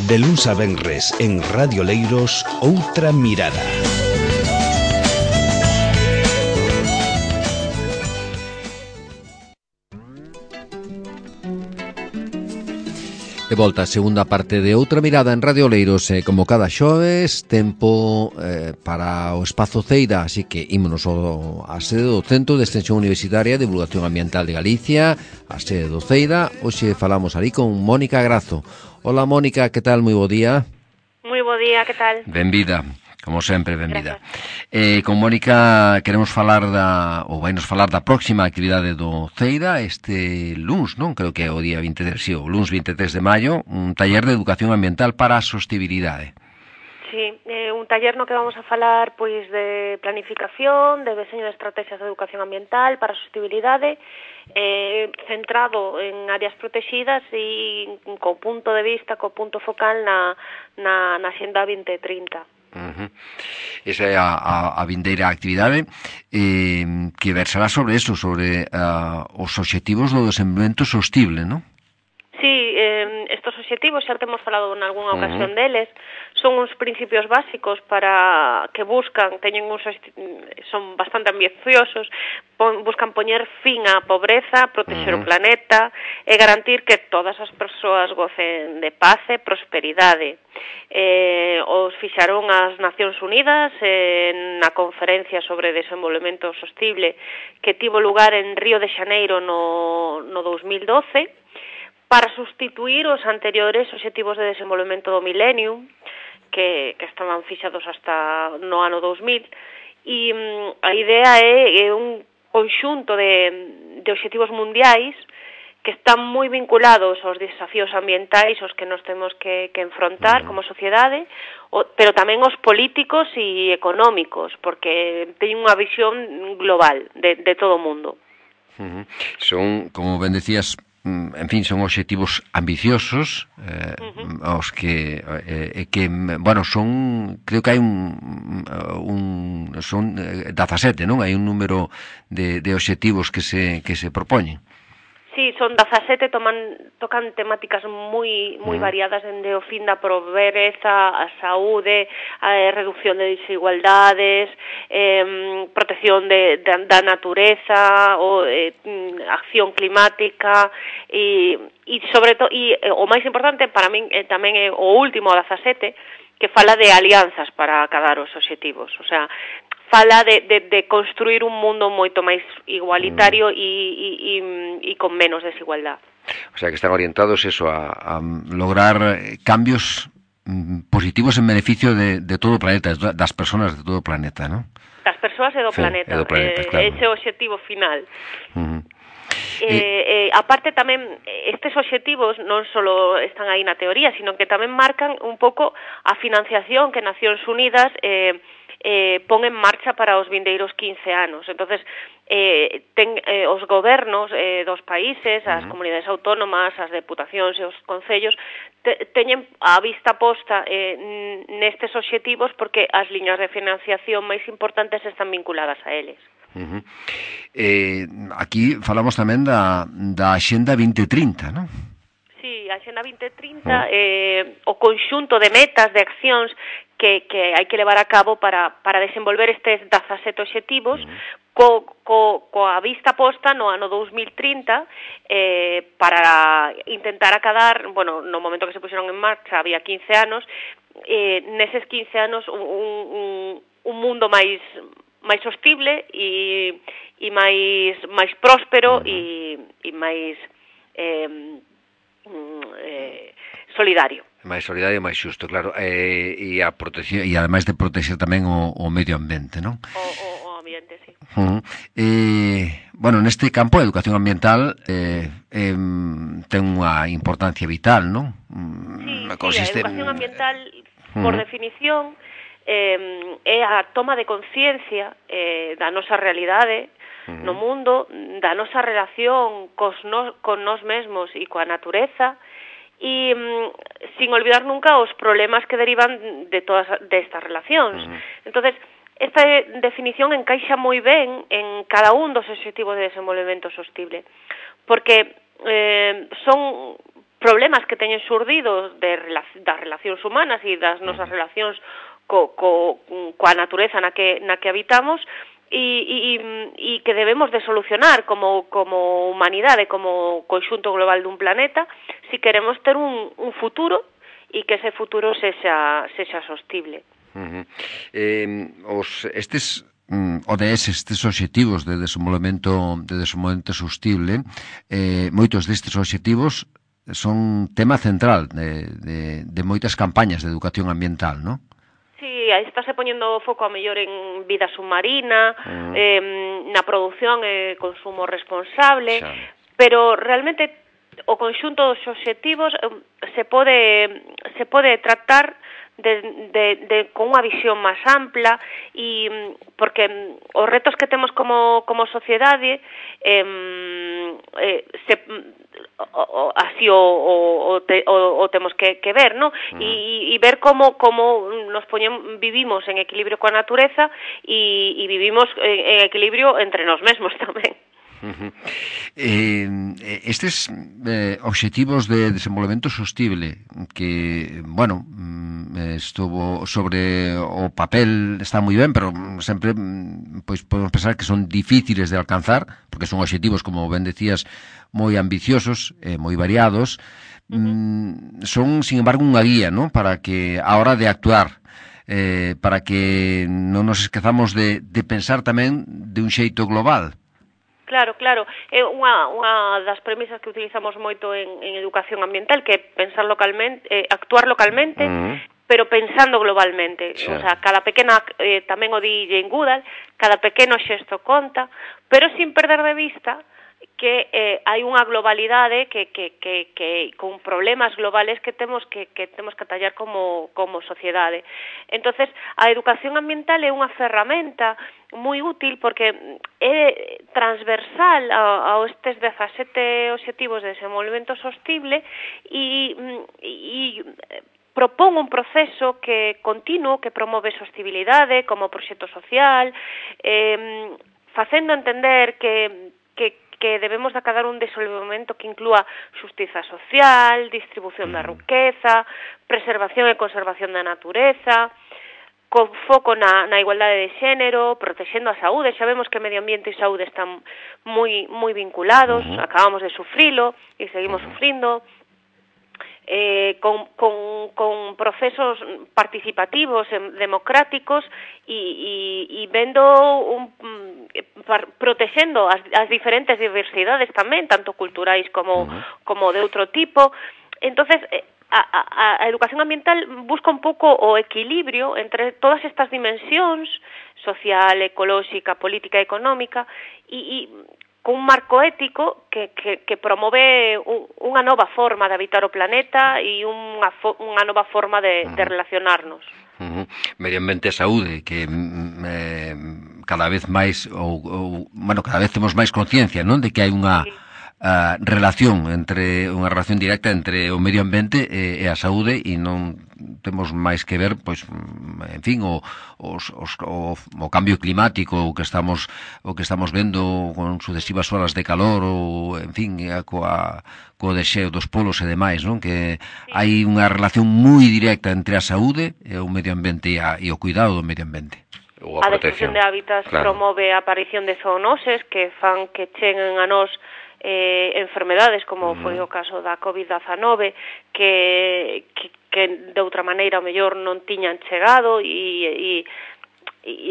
De luns a venres en Radio Leiros, Outra Mirada. De volta a segunda parte de Outra Mirada en Radio Leiros, como cada xoves, tempo para o Espazo Ceira, así que ímonos á sede do Centro de Extensión Universitaria de Divulgación Ambiental de Galicia, a sede do Ceira. Hoxe falamos ali con Mónica Grazo. Hola Mónica, que tal? Moi bo día. Moi bo día, que tal? Benvida. Como sempre, benvida. Con Mónica queremos falar vainos falar da próxima actividade do Ceira este luns, non? Creo que é o día 23, sí, o luns 23 de maio, un taller de educación ambiental para a sostenibilidade. Sí, un taller no que vamos a falar pois de planificación, de deseño de estrategias de educación ambiental para a sostenibilidade, centrado en áreas protegidas e co punto de vista, co punto focal na Axenda 2030. Esa é a vindeira actividade que versará sobre eso, sobre os obxectivos do desenvolvemento sostible, non? Sí, estos obxectivos, xa temos falado en algunha ocasión deles, son uns principios básicos para que buscan, son bastante ambiciosos, buscan poñer fin á pobreza, protexer o planeta e garantir que todas as persoas gocen de paz e prosperidade. Os fixaron as Nacións Unidas na conferencia sobre desenvolvemento sostible que tivo lugar en Río de Xaneiro no 2012, para sustituir os anteriores obxectivos de desenvolvemento do milenio, que estaban fixados hasta no ano 2000, e a idea é un conxunto de obxectivos mundiais que están moi vinculados aos desafíos ambientais aos que nos temos que enfrontar como sociedade, pero tamén aos políticos e económicos, porque teñen unha visión global de todo o mundo. Son, como ben decías, en fin, son obxectivos ambiciosos, os que bueno, son, creo que hai son 17, non? Hai un número de obxectivos que se propoñen. Sí, son 17, tocan temáticas moi variadas, dende o fin da pobreza, a saúde, a reducción de desigualdades, protección da natureza, acción climática e sobre todo, o máis importante para min tamén é o último, 17, que fala de alianzas para acadar os obxectivos, o sea, fala de construir un mundo moito máis igualitario e con menos desigualdad. O sea, que están orientados eso a lograr cambios positivos en beneficio de todo o planeta, das persoas de todo o planeta, ¿no? Das persoas e do planeta, claro. Ese é o obxectivo final. Aparte tamén, estes obxectivos non só están aí na teoría, sino que tamén marcan un pouco a financiación que Nacións Unidas pon en marcha para os vindeiros 15 anos. Entonces, os gobernos dos países, as comunidades autónomas, as deputacións e os concellos teñen a vista posta nestes obxectivos porque as liñas de financiación máis importantes están vinculadas a eles. Aquí falamos tamén da Axenda 2030, non? Sí, a Axenda 2030 o conxunto de metas, de accións que hai que levar a cabo para desenvolver estes 17 obxectivos coa vista posta no ano 2030 para intentar acadar, bueno, no momento que se puxeron en marcha había 15 anos, neses 15 anos un mundo máis sostible e máis próspero e máis solidario. Máis solidario e máis xusto, claro, e a protección, e ademais de proteger tamén o medio ambiente, non? O ambiente, sí. Bueno, neste campo a educación ambiental ten unha importancia vital, non? Sí, a educación ambiental, por definición, é a toma de conciencia da nosa realidade no mundo, da nosa relación con nós mesmos e coa natureza, e sin olvidar nunca os problemas que derivan de todas estas relacións. Entonces, esta definición encaixa moi ben en cada un dos obxectivos de desenvolvemento sostible, porque son problemas que teñen xurdido das relacións humanas e das nosas relacións coa natureza na que habitamos, e que debemos de solucionar como humanidade, como conxunto global dun planeta, si queremos ter un futuro e que ese futuro sexa sostible. Estes ODS, estes obxectivos de desenvolvemento sostible, moitos destes obxectivos son tema central de moitas campañas de educación ambiental, non? Sí, aí está se poñendo foco a mellor en vida submarina, na produción e consumo responsable, pero realmente o conxunto dos obxectivos se pode tratar con unha visión máis ampla, e porque os retos que temos como sociedade así o temos que ver, ¿no? E ver como nos vivimos en equilibrio coa natureza e vivimos en equilibrio entre nós mesmos tamén. Estes obxectivos de desenvolvemento sostible que, bueno, estuvo sobre o papel, está moi ben, pero sempre pois podemos pensar que son difíciles de alcanzar, porque son obxectivos, como ben decías, moi ambiciosos, moi variados. Son, sin embargo, unha guía, ¿no?, para que a hora de actuar, para que non nos esquezamos de pensar tamén de un xeito global. Claro. É unha das premisas que utilizamos moito en educación ambiental, que é pensar localmente, actuar localmente, pero pensando globalmente. O sea, cada pequena, tamén o di Jane Goodall, cada pequeno xesto conta, pero sin perder de vista que hai unha globalidade que con problemas globales que temos que atallar como sociedade. Entonces, a educación ambiental é unha ferramenta moi útil porque é transversal a estes 17 obxectivos de desenvolvemento sostible e propón un proceso que continuo que promove sostibilidade como proxecto social, facendo entender que debemos de acadar un desenvolvemento que inclúa xustiza social, distribución da riqueza, preservación e conservación da natureza, con foco na igualdade de xénero, protexendo a saúde. Xa vemos que medio ambiente e saúde están moi vinculados, acabamos de sufrilo e seguimos sufrindo, con procesos participativos, democráticos e vendo protexendo as diferentes diversidades tamén, tanto culturais como de outro tipo. Entonces, a educación ambiental busca un pouco o equilibrio entre todas estas dimensións, social, ecolóxica, política e económica, e con un marco ético que promove unha nova forma de habitar o planeta e unha nova forma de relacionarnos. Medio ambiente e saúde, que cada vez máis cada vez temos máis conciencia, non, de que hai unha relación directa entre o medio ambiente e a saúde, e non temos máis que ver, pois, en fin, o cambio climático, o que estamos vendo con sucesivas horas de calor, ou, en fin, co deseo dos polos e demais, non? Que hai unha relación moi directa entre a saúde e o medio ambiente e o cuidado do medio ambiente. A destrucción de hábitats promove a aparición de zoonoses que fan que cheguen a nós enfermedades, como foi o caso da COVID-19, que de outra maneira o mellor non tiñan chegado, e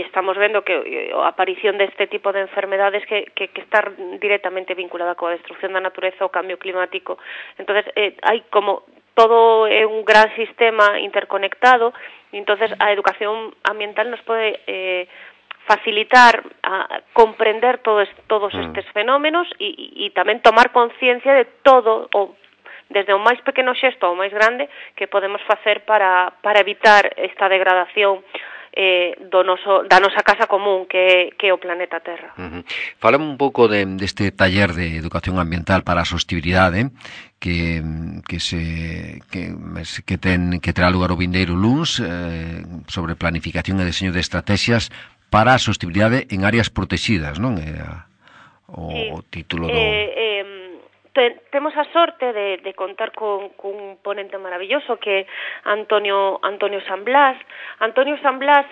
estamos vendo que a aparición deste tipo de enfermedades que está directamente vinculada coa destrucción da natureza, o cambio climático. Entonces, hai como todo é un gran sistema interconectado, e entonces a educación ambiental nos pode facilitar a comprender todos estes fenómenos e tamén tomar conciencia de todo, desde o máis pequeno xesto ao máis grande, que podemos facer para evitar esta degradación da nosa casa común que é o planeta Terra. Fálame un pouco deste taller de educación ambiental para a sostibilidade que terá lugar o vindeiro luns, sobre planificación e diseño de estrategias para a sostibilidade en áreas protegidas, non? O título do... temos a sorte de contar con un ponente maravilloso que é Antonio San Blas. Antonio San Blas,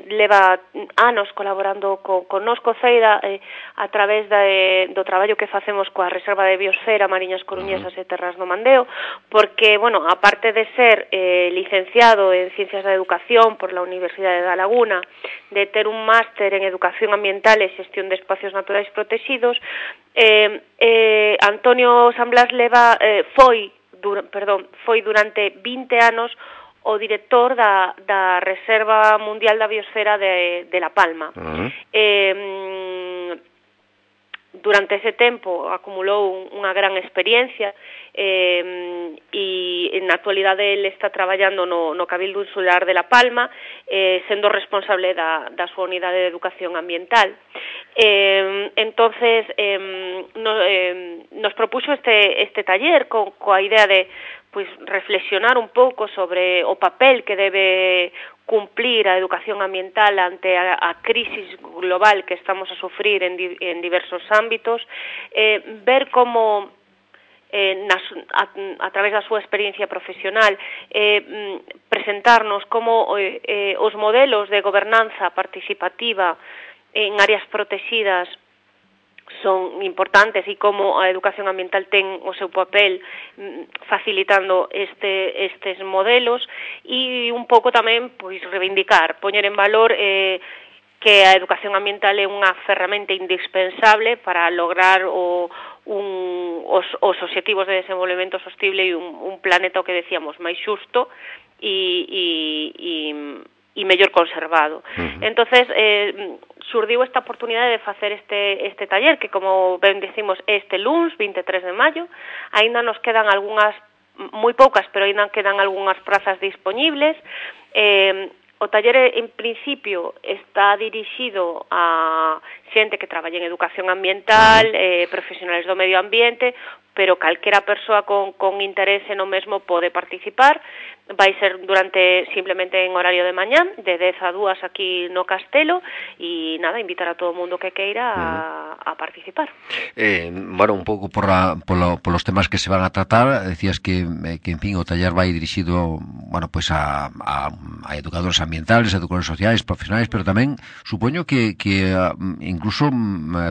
leva anos colaborando connosco Ceida a través do traballo que facemos coa Reserva de Biosfera, Mariñas Coruñesas e Terras do Mandeo, porque, aparte de ser licenciado en Ciencias da Educación por la Universidade da Laguna, de ter un máster en Educación Ambiental e Xestión de Espacios Naturais Protegidos, Antonio San Blas foi durante 20 anos o director da Reserva Mundial da Biosfera de La Palma. Durante ese tempo acumulou unha gran experiencia e na actualidade ele está traballando no Cabildo Insular de La Palma, sendo responsable da súa unidade de educación ambiental. Entonces nos propuxo este taller coa idea de reflexionar un pouco sobre o papel que debe cumplir a educación ambiental ante a crisis global que estamos a sufrir en diversos ámbitos, ver como a través da súa experiencia profesional presentarnos como os modelos de gobernanza participativa en áreas protegidas son importantes e como a educación ambiental ten o seu papel facilitando estes modelos e un pouco tamén reivindicar, poñer en valor que a educación ambiental é unha ferramenta indispensable para lograr os obxectivos de desenvolvemento sostible e un planeta, o que decíamos, máis xusto e mellor conservado. Entonces, surdiu esta oportunidade de facer este taller, que, como ben decimos, este luns, 23 de maio, aínda nos quedan algunhas, moi poucas, pero aínda quedan algunhas prazas disponibles. O taller, en principio, está dirixido a xente que traballa en educación ambiental, profesionales do medio ambiente, pero calquera persoa con interese no mesmo pode participar. Vai ser simplemente en horario de mañán, de 10 a 2 aquí no Castelo, e nada, invitar a todo o mundo que queira a participar. Un pouco polos temas que se van a tratar, decías que en fin, o taller vai dirixido, a educadores ambientales, educadores sociais, profesionais, pero tamén supoño que incluso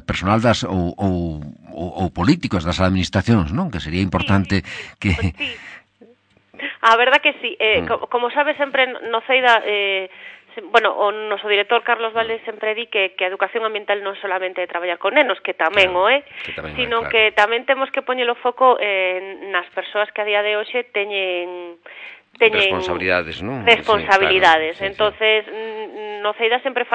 personal ou políticos das administracións, non? Que sería importante que... Sí. A verdad que sí. Como sabes, sempre no Ceida, o noso director Carlos Valdés sempre di que a educación ambiental non solamente é traballar con nenos, que tamén sino que tamén temos que poñer o foco nas persoas que a día de hoxe teñen responsabilidades, non? Responsabilidades. Sí, claro. Entonces, no Ceida sempre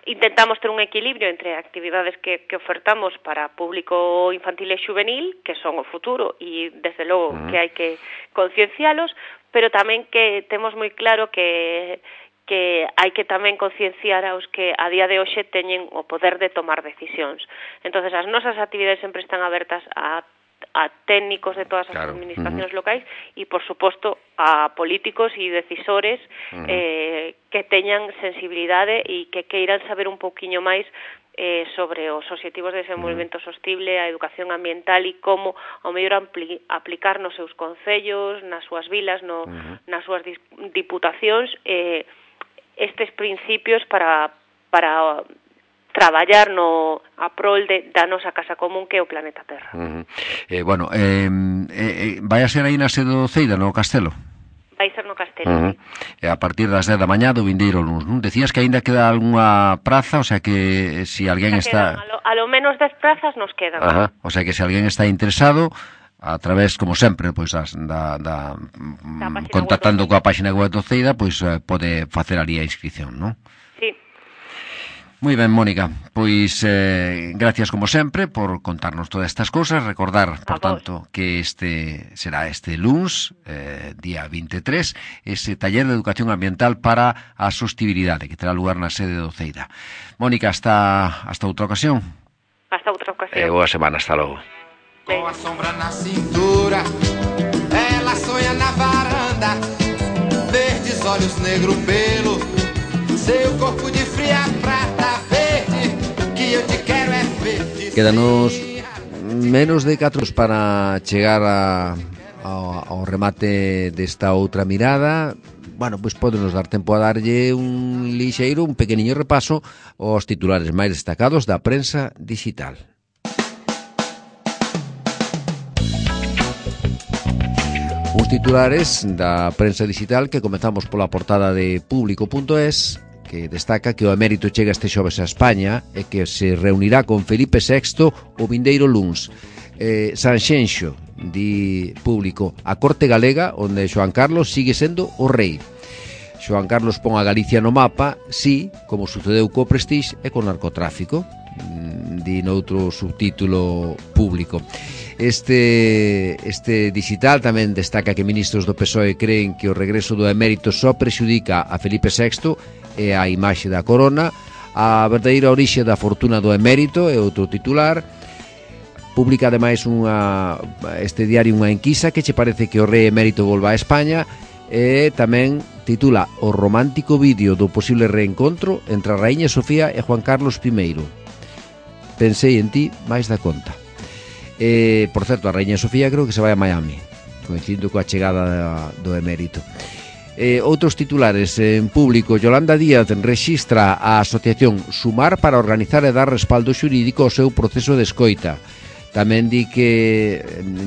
intentamos ter un equilibrio entre actividades que ofertamos para público infantil e juvenil, que son o futuro e, desde logo, que hai que conciencialos, pero tamén que temos moi claro que hai que tamén concienciar aos que a día de hoxe teñen o poder de tomar decisións. Entonces, as nosas actividades sempre están abertas a técnicos de todas as administracións locais e, por suposto, a políticos e decisores que teñan sensibilidade e que queiran saber un pouquiño máis sobre os obxectivos de desenvolvemento sostible, a educación ambiental e como ao mellor aplicar nos seus concellos, nas súas vilas, nas súas diputacións estes principios para traballar a prol da nosa casa común, que é o planeta Terra. Vai a ser aí na sede do Ceida, no Castelo? Vai ser no Castelo. A partir das 10 da mañá do vindeiro luns, non? Decías que aínda queda algunha praza, o sea que se alguén está... A lo menos 10 prazas nos quedan. O sea que se alguén está interesado, a través, como sempre, pois contactando coa páxina web do Ceida, pois pode facer ali a inscripción, non? Sí. Moi ben, Mónica, pois gracias como sempre por contarnos todas estas cousas, recordar, por tanto, que será este luns, día 23, ese taller de educación ambiental para a sostibilidade que terá lugar na sede do Ceida. Mónica, hasta outra ocasión. Hasta outra ocasión. Boa semana, hasta logo. Com a sombra na cintura, ela sonha na varanda, verdes olhos, negro pelo, seu corpo de fria prata verde, que eu te quero é verde. Quédanos menos de 4 para chegar ao remate desta outra mirada. Bueno, pois podenos dar tempo a darlle un pequeniño repaso aos titulares máis destacados da prensa digital. Uns titulares da prensa digital que comezamos pola portada de Público.es, que destaca que o emérito chega este xoves a España e que se reunirá con Felipe VI o vindeiro luns. Sanxenxo, di Público, a Corte Galega, onde Xoán Carlos sigue sendo o rei. Xoán Carlos pon a Galicia no mapa, sí, como sucedeu co Prestige e co narcotráfico, di noutro subtítulo Público. Este digital tamén destaca que ministros do PSOE creen que o regreso do emérito só prexudica a Felipe VI e a imaxe da corona. A verdadeira orixe da fortuna do emérito é outro titular. Publica ademais este diario unha enquisa que che parece que o rei emérito volva a España, e tamén titula o romántico vídeo do posible reencontro entre a raíña Sofía e Juan Carlos I. Pensei en ti máis da conta. Por certo, a raíña Sofía creo que se vai a Miami, coincidindo coa chegada do emérito. Outros titulares en Público. Yolanda Díaz rexistra a asociación Sumar para organizar e dar respaldo xurídico ao seu proceso de escoita. Tamén di que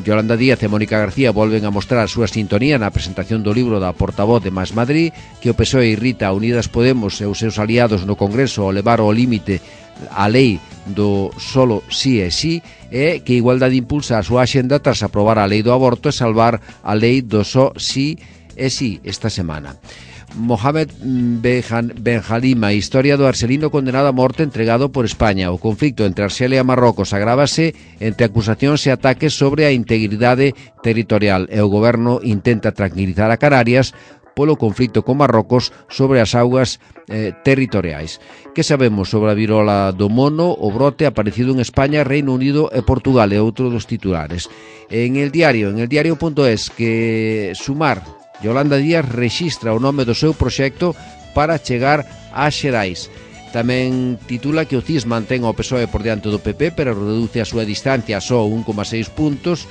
Yolanda Díaz e Mónica García volven a mostrar a súa sintonía na presentación do libro da portavoz de Más Madrid, que o PSOE irrita a Unidas Podemos e os seus aliados no Congreso ao levar ao límite a lei do solo sí é sí, e que Igualdade impulsa a súa axenda tras aprobar a lei do aborto e salvar a lei do só sí é sí esta semana. Mohamed Benjalima, historia do arxelino condenado a morte entregado por España. O conflicto entre Arxelia e Marrocos agrávase entre acusacións e ataques sobre a integridade territorial, e o goberno intenta tranquilizar a Canarias polo conflicto con Marrocos sobre as augas territoriais. Que sabemos sobre a virola do mono? O brote aparecido en España, Reino Unido e Portugal é outro dos titulares. En el diario.es, que Sumar, Yolanda Díaz rexistra o nome do seu proxecto para chegar a Xerais. Tamén titula que o CIS mantén o PSOE por diante do PP, pero reduce a súa distancia a só 1,6 puntos.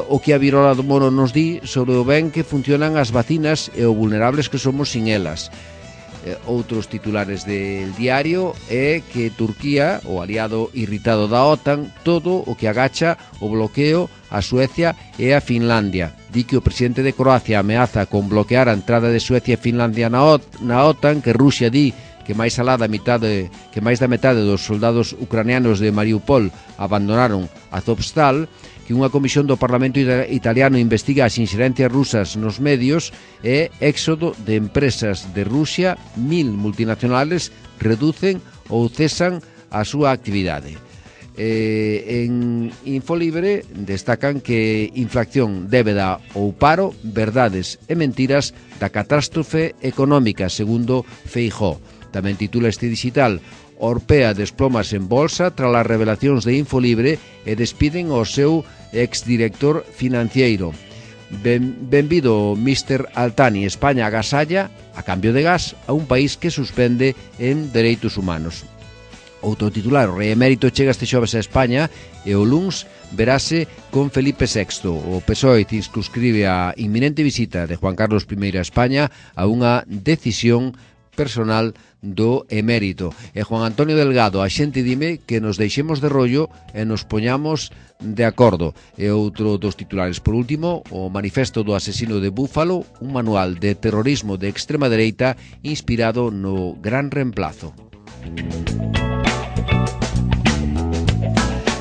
O que a virola do mono nos di sobre o ben que funcionan as vacinas e o vulnerables que somos sin elas. Outros titulares del diario é que Turquía, o aliado irritado da OTAN, todo o que agacha o bloqueo a Suecia e a Finlandia. Di que o presidente de Croacia ameaza con bloquear a entrada de Suecia e Finlandia na OTAN, que Rusia di que máis da metade dos soldados ucranianos de Mariupol abandonaron Azovstal, que unha comisión do Parlamento italiano investiga as inxerencias rusas nos medios, e éxodo de empresas de Rusia. 1000 multinacionales reducen ou cesan a súa actividade. En Infolibre destacan que inflación, débeda ou paro, verdades e mentiras da catástrofe económica, segundo Feijóo. Tamén titula este digital: Orpea desplomas en bolsa tras as revelacións de Infolibre e despiden ao seu exdirector financiero. Benvido Mr. Altani, España agasalla a cambio de gas a un país que suspende en dereitos humanos. Outro titular: o rei emérito chega este xoves a España e o luns verase con Felipe VI. O PSOE circunscribe a inminente visita de Juan Carlos I a España a unha decisión personal do emérito. E Juan Antonio Delgado: a xente dime que nos deixemos de rollo e nos poñamos de acordo. E outro dos titulares. Por último, o manifesto do asesino de Búfalo, un manual de terrorismo de extrema dereita inspirado no Gran Reemplazo.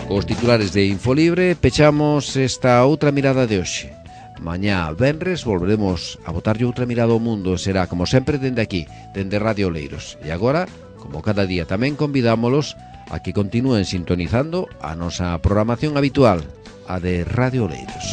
Cos titulares de Infolibre pechamos esta outra mirada de hoxe. Mañá, venres, volveremos a botarlle outra mirada ao mundo. Será, como sempre, dende aquí, dende Radio Oleiros. E agora, como cada día, tamén convidámolos a que continúen sintonizando a nosa programación habitual, a de Radio Oleiros.